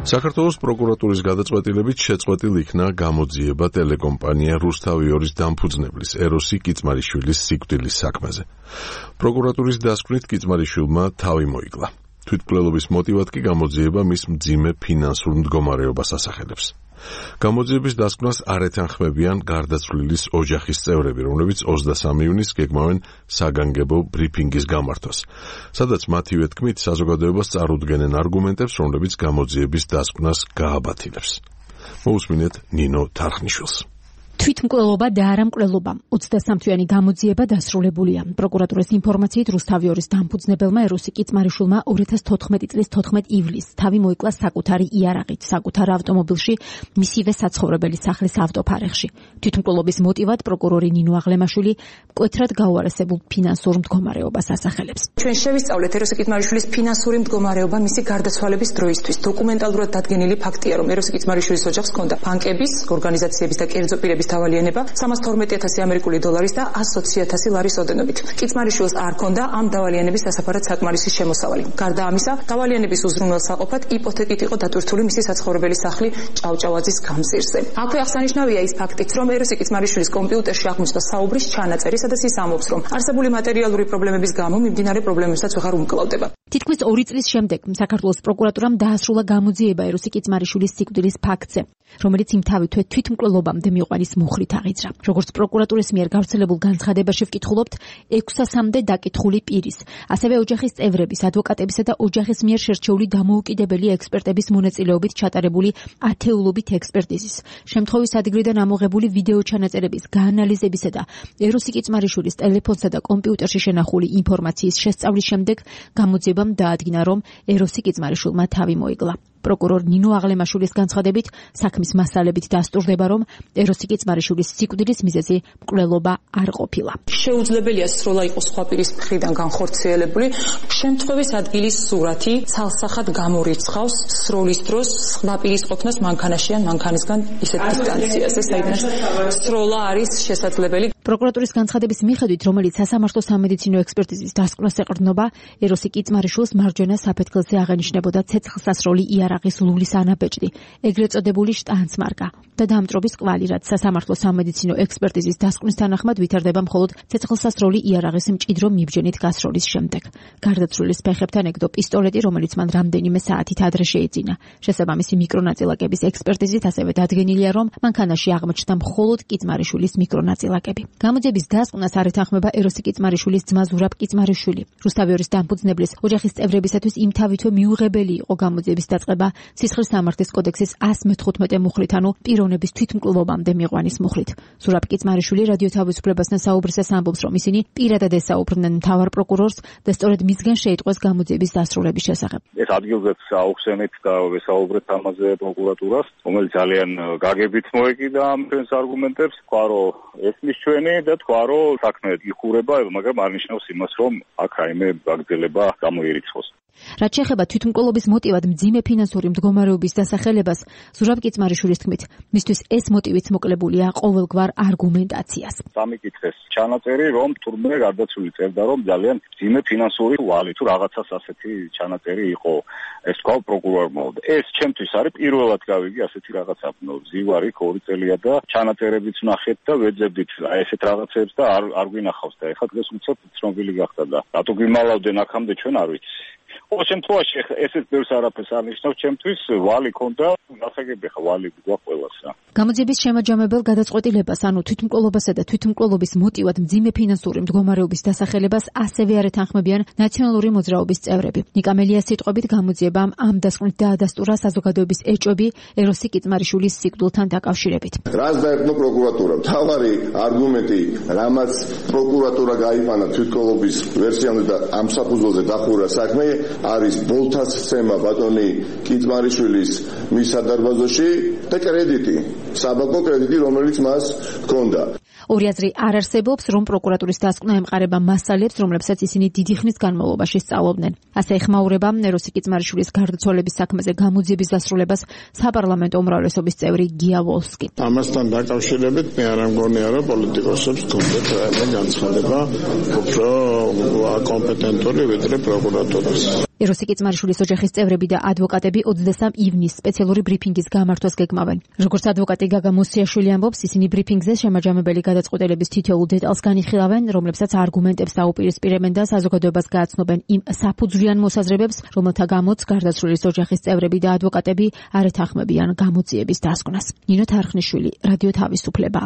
საქართველოს პროკურატურის გადაწყვეტილებით შეწყვეტილ იქნა გამოძიება ტელეკომპანია რუსთავი-2-ის დამფუძნებლის ეროსი კიწმარიშვილის სიკვდილის საქმეზე. პროკურატურის დასკვნით კიწმარიშვილმა თავი მოიკლა. თვითმკვლელობის მოტივად კი გამოძიება მის მძიმე ფინანსურ მდგომარეობას ასახელებს. გამოძიების დასკვნას არ ეთანხმებიან გარდაცვლილის ოჯახის წევრები, რომლებიც 23 ივნისს გეგმავენ საგანგებო ბრიფინგის გამართვას, სადაც მათივე თქმით საზოგადოებას წარუდგენენ არგუმენტებს, რომლებიც გამოძიების დასკვნას გააბათილებს. მოусმინეთ ნინო თარხნიშვილს. თვითმკვლელობა და არა მკვლელობა. 23-თვიანი გამოძიება დასრულებულია. პროკურატურის ინფორმაციით რუსთავი-2-ის დამფუძნებელმა ეროსი კიწმარიშვილმა 2014 წლის 14 ივლისს თავი მოიკლა საკუთარი იარაღით, საკუთარ ავტომობილში, მისივე საცხოვრებელი სახლის ავტოფარეხში. თვითმკვლელობის მოტივად პროკურორი ნინო აღლემაშვილი მკვეთრად გაუარესებულ ფინანსურ მდგომარეობას ასახელებს. ჩვენ შევისწავლეთ ეროსი კიწმარიშვილის ფინანსური მდგომარეობა მისი გარდაცვალების დროისთვის. დოკუმენტალურად დადგენილი ფაქტია, რომ ეროსი კიწმარიშვილის ოჯახს ჰქონდა ბანკების, ორგანიზაციების და კერძო პირების დავალიანება 312,000 ამერიკული დოლარის და 120,000 ლარის ოდენობით. კიწმარიშვილს არ ჰქონდა ამ დავალიანების დასაფარად საკმარისი შემოსავალი. გარდა ამისა, დავალიანების უზრუნველსაყოფად იპოთეკით იყო დატვირთული მისი საცხოვრებელი სახლი ჭავჭავაძის გამზირზე. აქვე აღსანიშნავია ის ფაქტიც, რომ ეროსი კიწმარიშვილის კომპიუტერში აღმოჩნდა საუბრის ჩანაწერი, სადაც ის ამბობს, რომ არსებული მატერიალური პრობლემების გამო მიმდინარე პრობლემებსაც ვეღარ უმკლავდება. თითქმის 2 წლის შემდეგ საქართველოს პროკურატურამ დაასრულა გამოძიება ეროსი კიწმარიშვილის სიკვდილის ფაქტზე, რომელიც იმთავითვე თვითმკვლელობამდე მიყვანის მუხლით აღიძრა. როგორც პროკურატურის მიერ გავრცელებულ განცხადებაში ვკითხულობთ, 600-მდე დაკითხული პირის, ასევე ოჯახის წევრების, ადვოკატებისა და ოჯახის მიერ შერჩეული დამოუკიდებელი ექსპერტების მონაწილეობით ჩატარებული ათეულობით ექსპერტიზის, შემთხვევის ადგილიდან ამოღებული ვიდეო ჩანაწერების, გაანალიზებისა და ეროსი კიწმარიშვილის ტელეფონსა და კომპიუტერში შენახული ინფორმაციის შესწავლის შემდეგ გამოძიებამ დაადგინა, რომ ეროსი კიწმარიშვილმა თავი მოიკლა. პროკურორ ნინო აღლემაშვილის განცხადებით, საქმის მასალებით დასტურდება, რომ ეროსი კიწმარიშვილის სიკვდილის მიზეზი მკვლელობა არ ყოფილა. შეუძლებელია სროლა იყოს სხვა პირის მხრიდან განხორციელებული. შემთხვევის ადგილის სურათი ცალსახად გამორიცხავს სროლის დროს სხვა პირის ყოფნას მანქანაში ან მანქანისგან ისეთ დისტანციაზე, საიდანაც სროლა არის შესაძლებელი. პროკურატურის განცხადების მიხედვით, რომელიც სასამართლო სამედიცინო ექსპერტიზის დასკვნას ეყრდნობა, ეროსი კიწმარიშვილს მარჯვენა საფეთქელზე აღენიშნებოდა ცეცხლსასროლი იარაღის ლულის ანაბეჭდი, ეგრეთ წოდებული შტანცმარკა და დამწრობის კვალი, რაც სასამართლო სამედიცინო ექსპერტიზის დასკვნის თანახმად ვითარდება მხოლოდ ცეცხლსასროლი იარაღის მჭიდრო მიბჯენით გასროლის შემდეგ. გარდაცვლილის ფეხებთან ეკდო პისტოლეტი, რომელიც მან რამდენიმე საათით ადრე შეიძინა. შესაბამისი მიკრონაწილაკების ექსპერტიზით ასევე დადგენილია, რომ მანქანაში აღმოჩნდა მხოლოდ კიწმარიშვილის მიკრონაწილაკები. გამოძიების დასკვნას არ ეთანხმება ეროსი კიწმარიშვილის ძმა ზურაბ კიწმარიშვილი. რუსთავი-2-ის დამფუძნებლის ოჯახის წევრებისათვის იმთავითვე მიუღებელი იყო გამოძიების დაწყება სისხლის სამართლის კოდექსის 115 მუხლით, ანუ პიროვნების თვითმკვლელობამდე მიყვანის მუხლით. ზურაბ კიწმარიშვილი რადიო თავისუფლებასთან საუბრისას ამბობს, რომ ისინი პირადად ესაუბრნენ მთავარ პროკურორს და სწორედ მისგან შეიტყვეს გამოძიების დასრულების შესახებ. ეს ადგილზეც აუხსენეთ და ვესაუბრეთ ამაზე პროკურატურას, რომელიც ძალიან გაგებით მოეკიდა ამ ჩვენს არგუმენტებს, თქვა რომ ესმის ჩვენი და თქვა რომ საქმე იხურება, მაგრამ არ ნიშნავს იმას, რომ აქ რაიმე გაგრძელება გამოირიცხოს. რაც შეეხება თვითმკვლელობის მოტივად მძიმე ფინანსური მდგომარეობის დასახელებას, ზურაბ კიწმარიშვილის თქმით, მისთვის ეს მოტივიც მოკლებულია ყოველგვარ არგუმენტაციას. სამიკითხეს ჩანაწერი, რომ თურმე გარდაცვლილი წერდა, რომ ძალიან მძიმე ფინანსური ვალი თუ რაღაცას ასეთი ჩანაწერი იყო. ეს თქვა პროკურორმა. ეს ჩემთვის არის პირველად გავიგე ასეთი რაღაცა. ზივარი 2 წელია და ჩანაწერებიც ნახეთ და ვეძებდით ესეთ რაღაცებს და არ გვინახავს და ეხლა დღეს უცებ ცნობილი გახდა და რატო გვიმალავდნენ აქამდე ჩვენ არ ვიცი. ყოველ შემთხვევაში ესეც ბევრს არაფერს არ ნიშნავს, ჩემთვის ვალი ქონდა, გასაგები ხა ვალი გვაქვს ყველას. გამოძიების შემაჯამებელ გადაწყვეტილებას, ანუ თვითმკვლელობასა და თვითმკვლელობის მოტივად მძიმე ფინანსური მდგომარეობის დასახელებას ასევე არ ეთანხმებიან ნაციონალური მოძრაობის წევრები. ნიკა მელიას სიტყვებით გამოძიებამ ამ დასკვნით დაადასტურა საზოგადოების ეჭვები ეროსი კიწმარიშვილის სიკვდილთან დაკავშირებით. რას დაერქვა პროკურატურა? მთავარი არგუმენტი, რამაც პროკურატურა გაიფანა თვითმკვლელობის ვერსიამდე და ამ საფუძველზე დახურა საქმე, არის ბოლთას სცემა ბატონი კიწმარიშვილის მის სადარბაზოში და კრედიტი, საბანკო კრედიტი, რომელიც მას ჰქონდა. ორი აზრი არ არსებობს, რომ პროკურატურის დასკვნა ემყარება მასალებს, რომლებსაც ისინი დიდი ხნის განმავლობაში სწავლობდნენ. ასე ეხმაურება ეროსი კიწმარიშვილის გარდაცვალების საქმეზე გამოძიების დასრულებას საპარლამენტო უმრავლესობის წევრი გია ვოლსკი. ამასთან დაკავშირებით მე არ მგონია, რომ პოლიტიკოსებს ჰქონდათ რაიმე განცხადება უფრო კომპეტენტური ვიდრე პროკურატურას. ეროსი კიწმარიშვილის ოჯახის წევრები და ადვოკატები 23 ივნისს სპეციალური ბრიფინგის გამართვას გეგმავენ. Როგორც ადვოკატი გაგა მუსიაშვილი ამბობს, ისინი ბრიფინგზე შემაჯამებელი გადაწყვეტილების თითოეულ დეტალს განიხილავენ, რომლებსაც არგუმენტებს დაუპირისპირებენ და საზოგადოებას გააცნობენ იმ საფუძვლიან მოსაზრებებს, რომელთა გამოც გარდაცვლილის ოჯახის წევრები და ადვოკატები არ ეთანხმებიან გამოძიების დასკვნას. ნინო თარხნიშვილი, რადიო თავისუფლება.